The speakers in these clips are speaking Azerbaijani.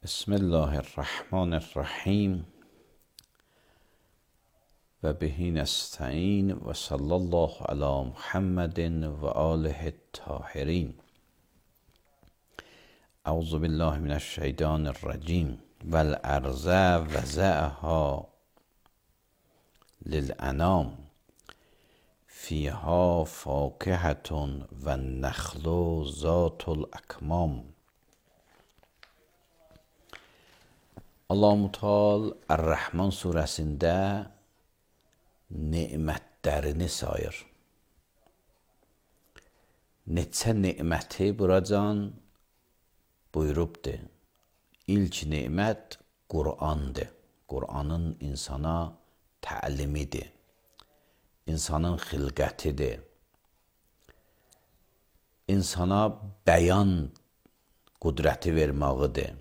بسم الله الرحمن الرحیم و به نستعین و صلی الله علی محمد و آله الطاهرین. اعوذ بالله من الشیطان الرجیم. والارض وضعها للانام فیها فاکهة و النخل ذات الاکمام. Allah-u Teala Er-Rahman surəsində nemətlərini sayır. Neçə neməti buracan buyurubdur. İlk nemət Qur'andır. Qur'anın insana təlimidir. İnsanın xilqətidir. İnsana bəyan qüdrəti verməğidir.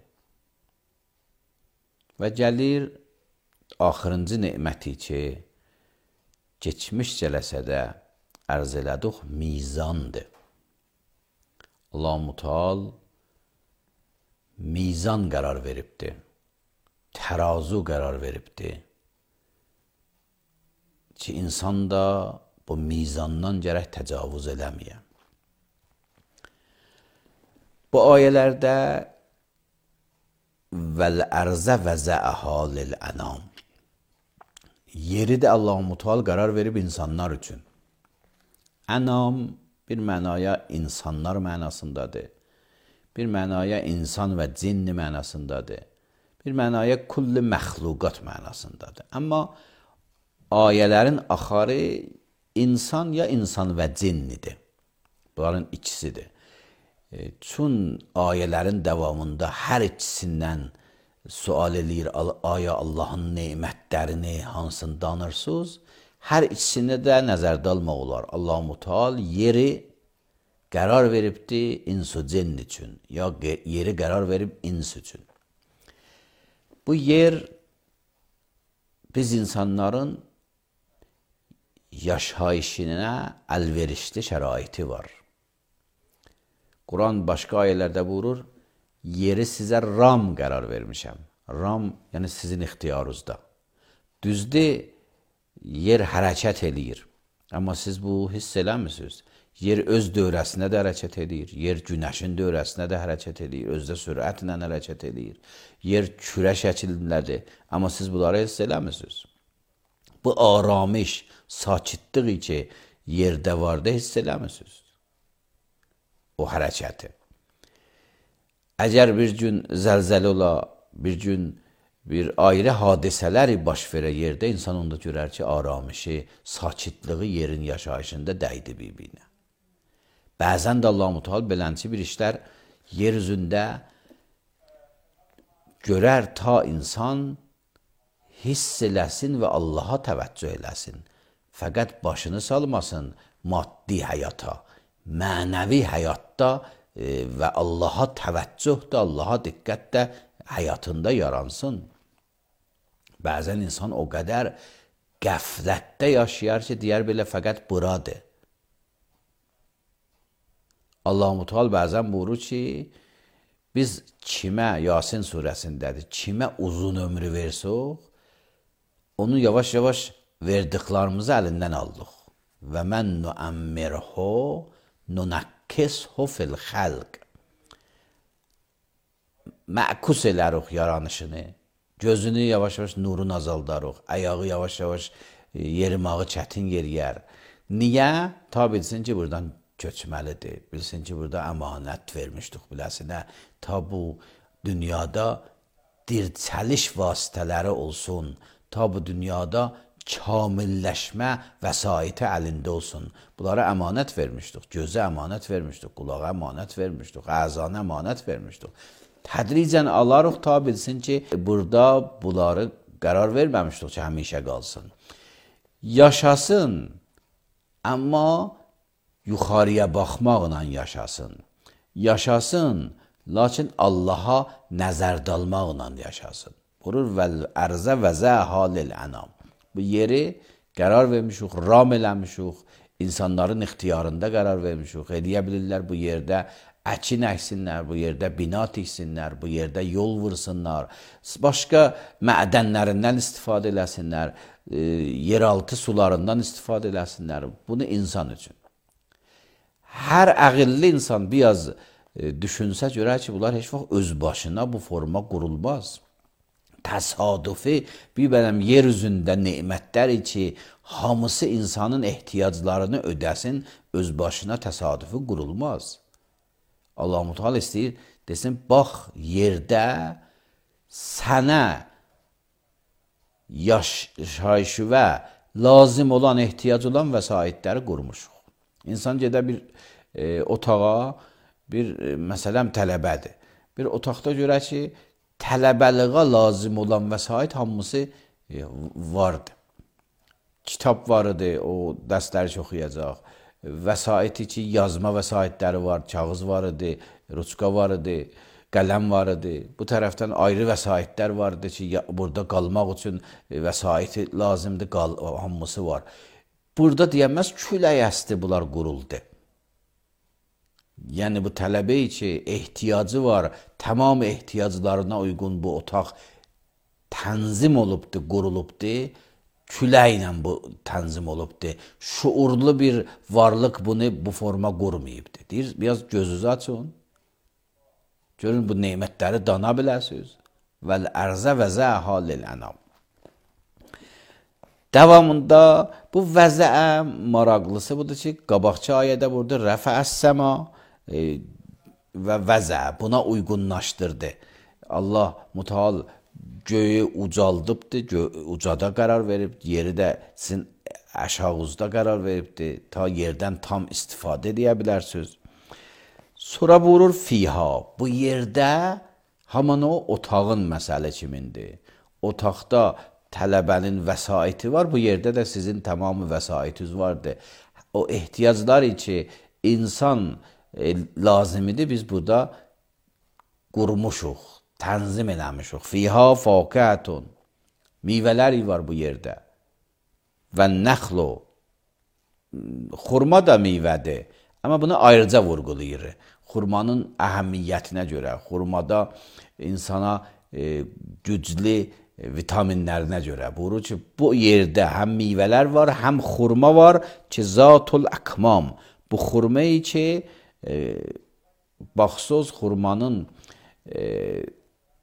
Və gəlir axırıncı neməti ki, keçmiş cələsədə ərz elədik, mizandır. Allah-u Teala mizan qərar veribdir. Tərazu qərar veribdir. Ki, insan da bu mizandan gərək təcavüz eləməyə. Bu ayələrdə vəl-ərzə vəzəəhə lil-ənam. Yeri də Allah-u Teala qərar verib insanlar üçün. Ənam bir mənaya insanlar mənasındadır. Bir mənaya insan və cinni mənasındadır. Bir mənaya kulli məxluqat mənasındadır. Amma ayələrin axarı insan ya insan və cinnidir. Bunların ikisidir. Çün ayələrin davamında hər ikisindən sual eləyir, aya Allahın nemətlərini hansını danırsınız? Hər ikisini də nəzərdə almaq olar. Allah-u Teala yeri qərar veribdir insu cinn üçün, ya yeri qərar verib ins üçün. Bu yer biz insanların yaşayışına əlverişli şəraiti var. Quran başqa ayələrdə buyurur, yeri sizə ram qərar vermişəm. Ram, yəni sizin ixtiyarınızda. Düzdür, yer hərəkət eləyir. Amma siz bu hiss eləmirsiniz. Yer öz dövrəsinə də hərəkət eləyir. Yer günəşin dövrəsinə də hərəkət eləyir. Özdə sürətlə hərəkət eləyir. Yer kürə şəklindədir. Amma siz bunları hiss eləmirsiniz. Bu aramış, sakitliği ki, yerdə vardı, hiss eləmirsiniz. O hərəkəti. Əgər bir gün zəlzələ ola, bir gün bir ayrı hadisələri baş verə yerdə, insan onda görər ki, aramışı, sakitliği yerin yaşayışında dəydi bir-birinə. Bəzən də Allah-u Teala belənçi bir işlər yer üzündə görər ta insan hiss eləsin və Allaha təvəccüh eləsin. Fəqət başını salmasın maddi həyata. Mənəvi həyatda və Allaha təvəccüh də, Allaha diqqət də həyatında yaransın. Bəzən insan o qədər qəflətdə yaşayar ki, deyər belə fəqət buradır. Allah-u Teala bəzən buyurur ki, biz kimə, Yasin surəsindədir, kimə uzun ömrü versək, onu yavaş-yavaş verdiklərimizi əlindən aldıq. Və mən nuəmmirhu nunakkishu fil xəlq. Məkus elərik yaranışını, gözünü yavaş-yavaş nurunu azaldarıq, ayağı yavaş-yavaş yerimağı çətin yeriyər. Niyə? Ta bilsin ki, buradan köçməlidir, bilsin ki, burada əmanət vermişdik biləsinə, ta bu dünyada dirçəliş vasitələri olsun, ta bu dünyada kamilləşmə vəsaiti əlində olsun. Bunlara əmanət vermişdik, gözə əmanət vermişdik, qulağa əmanət vermişdik, əzana əmanət vermişdik. Tədricən alarıq ta bilsin ki, burada bunları qərar verməmişdik ki, həmişə qalsın. Yaşasın, amma yuxarıya baxmaqla yaşasın. Yaşasın, lakin Allaha nəzər dalmaqla yaşasın. Vurur vəl ərzə vəzə halil ənam. Bu yeri qərar vermişik, ram eləmişik, insanların ixtiyarında qərar vermişik. Eləyə bilirlər bu yerdə əkin əksinlər, bu yerdə bina tiksinlər, bu yerdə yol vursunlar, başqa mədənlərindən istifadə eləsinlər, yeraltı sularından istifadə eləsinlər. Bunu insan üçün. Hər əqilli insan biraz düşünsə görər ki, bunlar heç vaxt öz başına bu forma qurulmaz. Təsadüfi bir bələm yer üzündə nemətlər ki, hamısı insanın ehtiyaclarını ödəsin, öz başına təsadüfi qurulmaz. Allah-u Teala istəyir, desin, bax, yerdə sənə yaşayışı və lazım olan, ehtiyac olan vəsaitləri qurmuşuq. İnsan gedə bir otağa, məsələn, tələbədir. Bir otaqda görək ki, tələbəliğə lazım olan vəsait hamısı vardır. Kitab var idi, o dərsləri oxuyacaq. Vəsaiti ki, yazma vəsaitləri var, kağız var idi, ruçka var idi, qələm var idi. Bu tərəfdən ayrı vəsaitlər var idi ki, burada qalmaq üçün vəsaiti lazımdır, hamısı var. Burada deyəməz, külək əsdi bunlar quruldu. Yəni, bu tələbə ki, ehtiyacı var, tamam ehtiyaclarına uyğun bu otaq tənzim olubdur, qurulubdur, küləklə bu tənzim olubdur. Şuurlu bir varlıq bunu bu forma qurmayıbdır. Deyir, biraz gözünüzü açın. Görün, bu nemətləri dana biləsiniz. Vəl ərzə vəzə halil ənam. Davamında bu vəzə maraqlısı budur ki, qabaqçı ayədə burada rəfəəs-səma və vəzə buna uyğunlaşdırdı. Allah Müteal göyü ucaldıbdır, ucada qərar verib, yeri də sizin aşağınızda qərar veribdir, ta yerdən tam istifadə edə bilərsiniz. Sonra buyurur fiha, bu yerdə haman o otağın məsələ kimindir. Otaqda tələbənin vəsaiti var, bu yerdə də sizin tamamı vəsaitiniz vardır. O ehtiyaclar ki, insan lazimidir, biz burada qurmuşuq, tənzim eləmişik. Fiha fakətun, meyvələri var bu yerdə. Və nəxlu, xurma da meyvədir. Amma bunu ayrıca vurğulayır. Xurmanın əhəmiyyətinə görə, xurmada insana güclü vitaminlərinə görə. Buyurur ki, bu yerdə həm meyvələr var, həm xurma var ki, zatul əkmam. Bu xurmayı ki, baxsız xurmanın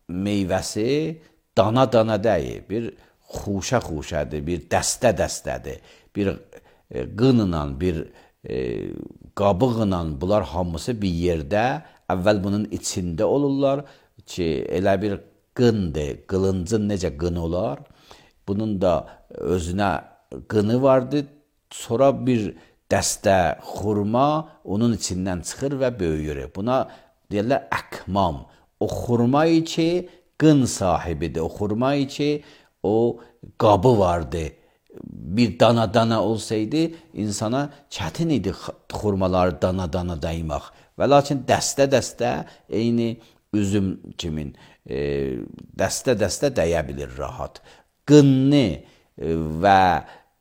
meyvəsi dana-dana deyil, bir xuşə-xuşədir, bir dəstə-dəstədir, bir qınla, bir qabıqla bunlar hamısı bir yerdə, əvvəl bunun içində olurlar ki, elə bir qındır, qılıncın necə qını olar, bunun da özünə qını vardır, sonra bir dəstə xurma onun içindən çıxır və böyüyür. Buna deyirlər əkmam. O xurmayı ki, qın sahibidir. O xurmayı ki, o qabı vardı. Bir dana-dana olsaydı, insana çətin idi xurmaları dana-dana daymaq. Və lakin dəstə-dəstə eyni üzüm kimin dəstə-dəstə dəyə bilir rahat. Qınlı və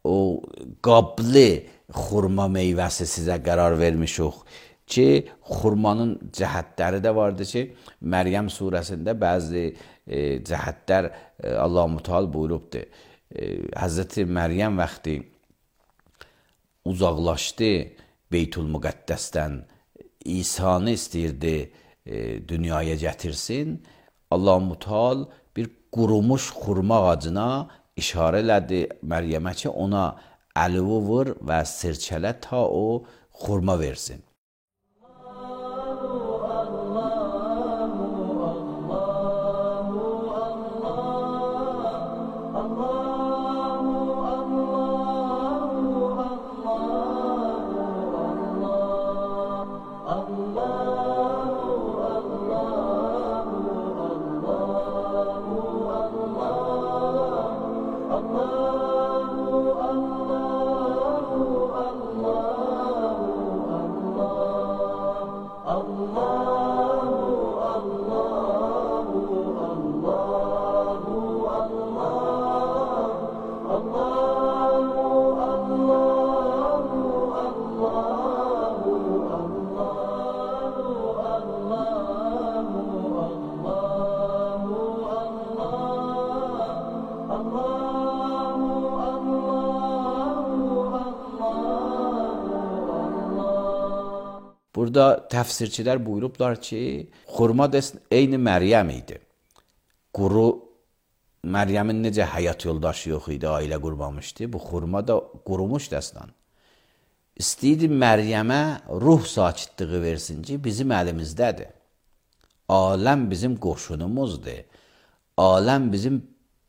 o qablı xurma meyvəsi sizə qərar vermişik ki, xurmanın cəhətləri də vardır ki, Məryəm surəsində bəzi cəhətlər Allah-u Teala buyurubdur. Həzrəti Məryəm vaxtı uzaqlaşdı Beytül-Müqəddəsdən, İsa'nı istəyirdi dünyaya gətirsin. Allah-u Teala bir qurumuş xurma ağacına işarə elədi Məryəmə ki, ona əlivi vur və sirkələ ta o xurma versin. burada təfsirçilər buyurublar ki, xurma da eyni Məryəm idi. Quru Məryəmin necə həyat yoldaşı yox idi, ailə qurmamışdı. Bu xurma da qurumuş dəstan. İstəyirdi Məryəmə ruh sakitliyi versin ki, bizim əlimizdədir. Aləm bizim qoşunumuzdur. Aləm bizim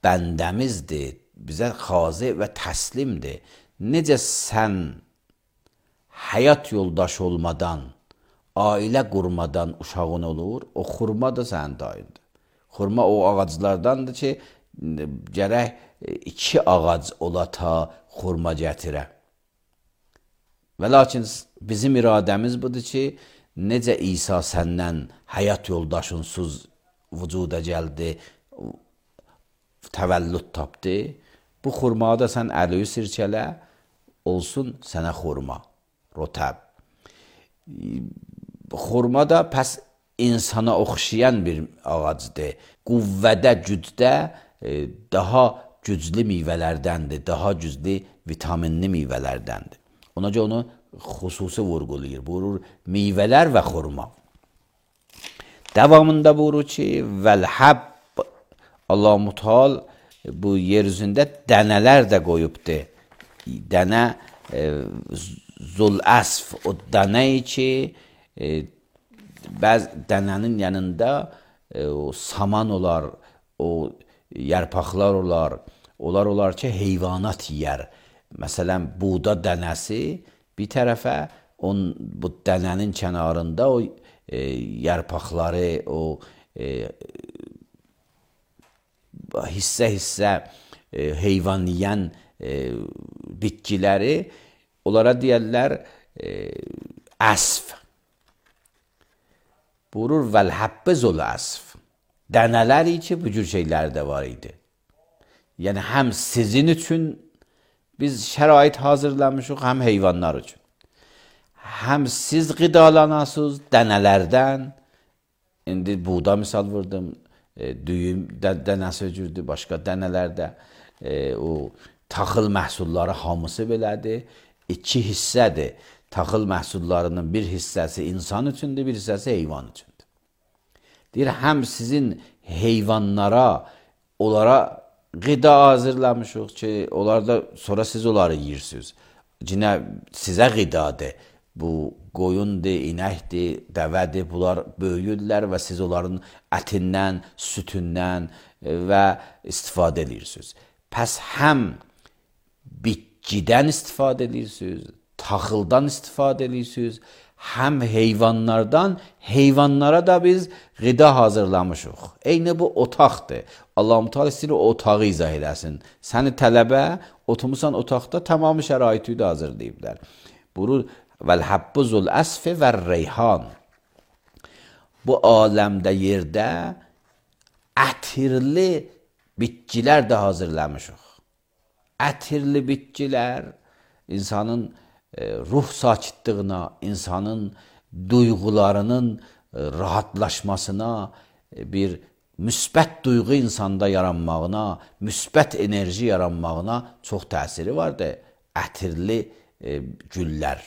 bəndəmizdir. Bizə xazi və təslimdir. Necə sən həyat yoldaşı olmadan, ailə qurmadan uşağın olur, o xurma da sənin dayındır. Xurma o ağaclardandır ki, gərək 2 ağac ola ta xurma gətirə. Və lakin bizim iradəmiz budur ki, necə İsa səndən həyat yoldaşınsız vücuda gəldi, təvəllüd tapdı, bu xurmağı da sən əliyi sirkələ, olsun sənə xurma, rotəb. Xurma da pəs insana oxşayan bir ağacdır. Qüvvədə, gücdə daha güclü meyvələrdəndir, daha güclü vitaminli meyvələrdəndir. Ona görə onu xüsusi vurğulayır. Buyurur, meyvələr və xurma. Davamında buyurur ki, vəl-həbb, Allah-u Müteal bu yer üzündə dənələr də qoyubdur. Dənə zul-əsf, o dənəyi ki, bəzi dənənin yanında o saman olar, o yarpaqlar olar, olar ki, heyvanat yiyər. Məsələn, buğda dənəsi bir tərəfə, bu dənənin kənarında o yarpaqları, o hissə-hissə heyvan yiyən bitkiləri, onlara deyərlər əsf. Buyurur, vəl-həbbə zul-əsf. Dənələri ki, bu cür şeylər də var idi. Yəni, həm sizin üçün biz şərait hazırlamışıq, həm heyvanlar üçün. Həm siz qidalanasınız dənələrdən, indi buğda misal vurdum, düyüm dənəsi cürdür, başqa dənələrdə o taxıl məhsulları hamısı belədir. 2 hissədir. Taxıl məhsullarının bir hissəsi insan üçündür, bir hissəsi heyvan üçündür. Deyir, həm sizin heyvanlara, onlara qida hazırlamışıq ki, onlar da sonra siz onları yiyirsiniz. Yine sizə qidadır. Bu qoyundur, inəkdir, dəvədir, bunlar böyüyürlər və siz onların ətindən, sütündən və istifadə edirsiniz. Pəs həm bitkidən istifadə edirsiniz, taxıldan istifadə edirsiniz, həm heyvanlardan, heyvanlara da biz qida hazırlamışıq. Eyni bu otaqdır. Allah-u Teala istəyir o otağı izah eləsin. Səni tələbə, oturmusan otaqda tamamı şəraiti də hazırlayıblar. Buyurur, vəl-həbbü zul-əsfi və-reyhan. Bu aləmdə, yerdə ətirli bitkilər də hazırlamışıq. Ətirli bitkilər insanın ruh sakitliyinə, insanın duyğularının rahatlaşmasına, bir müsbət duyğu insanda yaranmağına, müsbət enerji yaranmağına çox təsiri vardır. Ətirli güllər.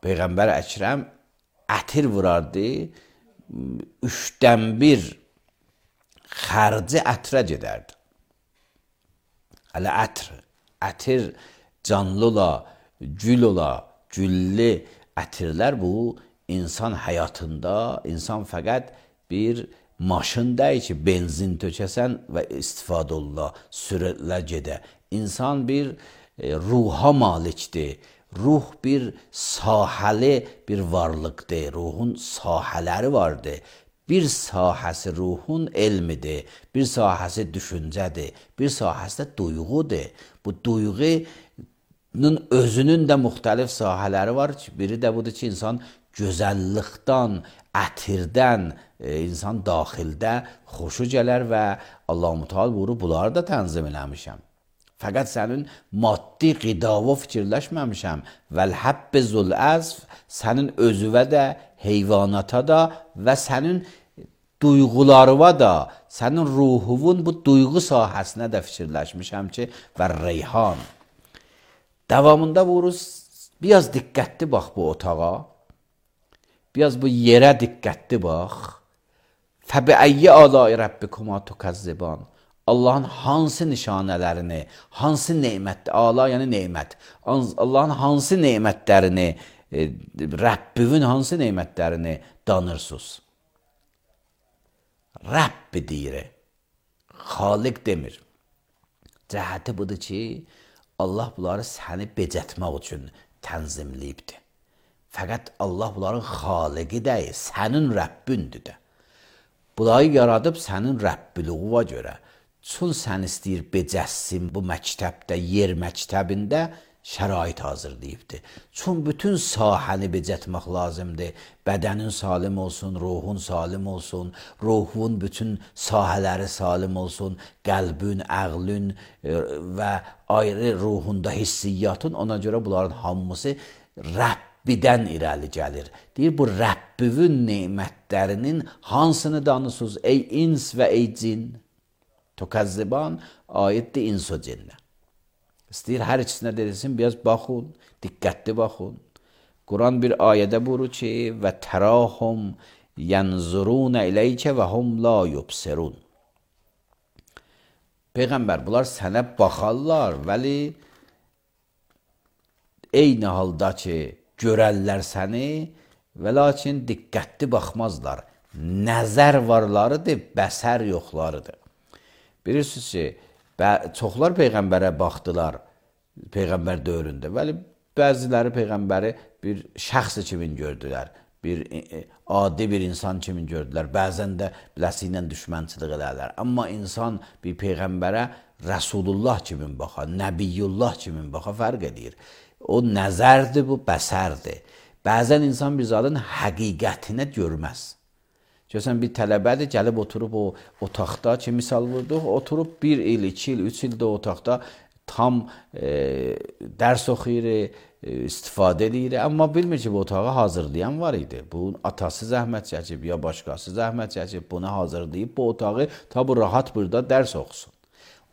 Peyğəmbər Əkrəm ətir vurardı, 3dən 1 xərci ətrə gedərdi. Hələ ətir canlı ola, gül ola, güllü ətirlər bu insan həyatında, insan fəqət bir maşın deyil ki, benzin tökəsən və istifadə olula, sürətlə gedə. İnsan bir ruha malikdir. Ruh bir sahəli bir varlıqdır. Ruhun sahələri vardır. Bir sahəsi ruhun elmidir. Bir sahəsi düşüncədir. Bir sahəsi də duyğudur. Bu duyğunun özünün də müxtəlif sahələri var. Biri də budur ki, insan gözəllikdən, ətirdən, insan daxildə xoşu gələr və Allah-u Teala buyurur, bunları da tənzim eləmişəm. Fəqət sənin maddi qidava fikirləşməmişəm. Vəl-həbbə zul-əsf, sənin özüvə də, heyvanata da və sənin duyğularıva da, sənin ruhuvun bu duyğu sahəsinə də fikirləşmişəm ki, və reyhan. Davamında buyurur, biraz diqqətli bax bu otağa. Biraz bu yerə diqqətli bax. Fəbiəyyi əlai rabbikuma tukəzziban. Allahın hansı nişanələrini, hansı nemət, ala yəni nemət, Allahın hansı nemətlərini, Rəbbivin hansı nemətlərini danırsınız? Rəbbi deyir, Xaliq demir. Cəhəti budur ki, Allah bunları səni becətmək üçün tənzimləyibdir. Fəqət Allah bunların xaliqi deyil, sənin Rəbbündür də. Bunları yaradıb sənin Rəbbiliğuna görə. Çün sən istəyir becəssin bu məktəbdə, yer məktəbində şərait hazırlayıbdır. Çün bütün sahəni becətmək lazımdır. Bədənin salim olsun, ruhun salim olsun, ruhun bütün sahələri salim olsun, qəlbün, əqlün və ayrı ruhunda hissiyyatın. Ona görə bunların hamısı Rəbbidən irəli gəlir. Deyir, bu Rəbbivin nemətlərinin hansını danısınız ey ins və ey cin? Tukəzziban aiddir ins o cinnə. İstəyir hər ikisinə dedilsin, biraz baxın, diqqətli baxın. Quran bir ayədə buyurur ki, və tərahum yənzurun iləykə və hum la yubsirun. Peyğəmbər, bunlar sənə baxarlar, vəli eyni halda ki, görərlər səni və lakin diqqətli baxmazlar. Nəzər varlarıdır, bəsər yoxlarıdır. Bilirsiniz ki, çoxlar Peyğəmbərə baxdılar, Peyğəmbər dövründə. Vəli bəziləri Peyğəmbəri bir şəxs kimi gördülər, bir adi bir insan kimi gördülər. Bəzən də biləsi ilə düşmənçilik edərlər. Amma insan bir Peyğəmbərə Rəsulullah kimi baxa, Nəbiyyullah kimi baxa fərq edir. O nəzərdir, bu bəsərdir. Bəzən insan bir zadın həqiqətinə görməz. Görsən, bir tələbədir, gəlib oturub o otaqda ki, misal vurduq, oturub 1 il, 2 il, 3 ildə o otaqda tam dərs oxuyur, istifadə edir. Amma bilmir ki, bu otağı hazırlayan var idi. Bu atası zəhmət çəkib, ya başqası zəhmət çəkib, bunu hazırlayıb bu otağı ta bu rahat burada dərs oxusun.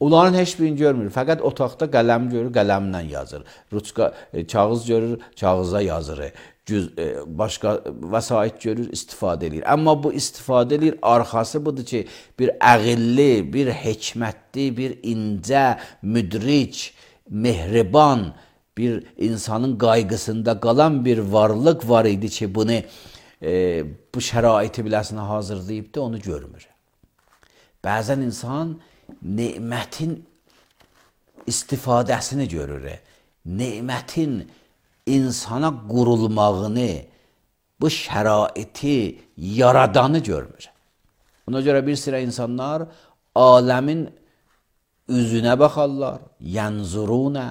Onların heç birini görmür. Fəqət otaqda qələm görür, qələmlə yazır. Ruçka, kağız görür, kağıza yazır. Başqa vəsait görür, istifadə edir. Amma bu istifadə edir, arxası budur ki, bir əqilli, bir hikmətli, bir incə, müdrik, mehriban, bir insanın qayğısında qalan bir varlıq var idi ki, bunu bu şəraiti biləsinə hazırlayıbdı, onu görmür. Bəzən insan nemətin istifadəsini görür. Nemətin insana qurulmağını, bu şəraiti yaradanı görmür. Ona görə bir sıra insanlar aləmin üzünə baxarlar, yənzurunə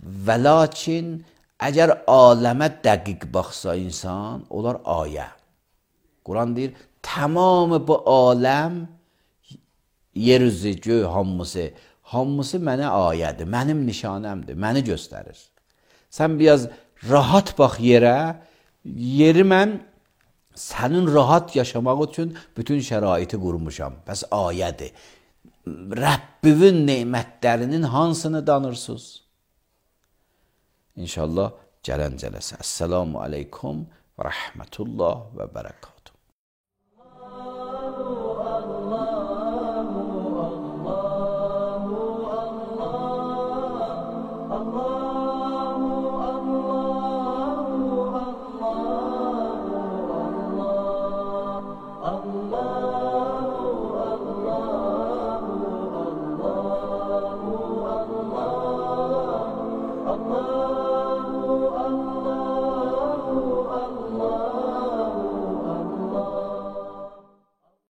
və lakin əgər aləmə dəqiq baxsa insan, onlar ayə. Quran deyir, tamamı bu aləm, yer üzü, göy hamısı mənə ayədir, mənim nişanəmdir, məni göstərir. Sən biraz rahat bax yerə, yeri mən sənin rahat yaşamaq üçün bütün şəraiti qurmuşam. Bəs ayədir. Rəbbivin nemətlərinin hansını danırsınız? İnşallah gələn cələsə. Əssəlamu aleykum və rəhmətullah və bərəkatuhu. Allah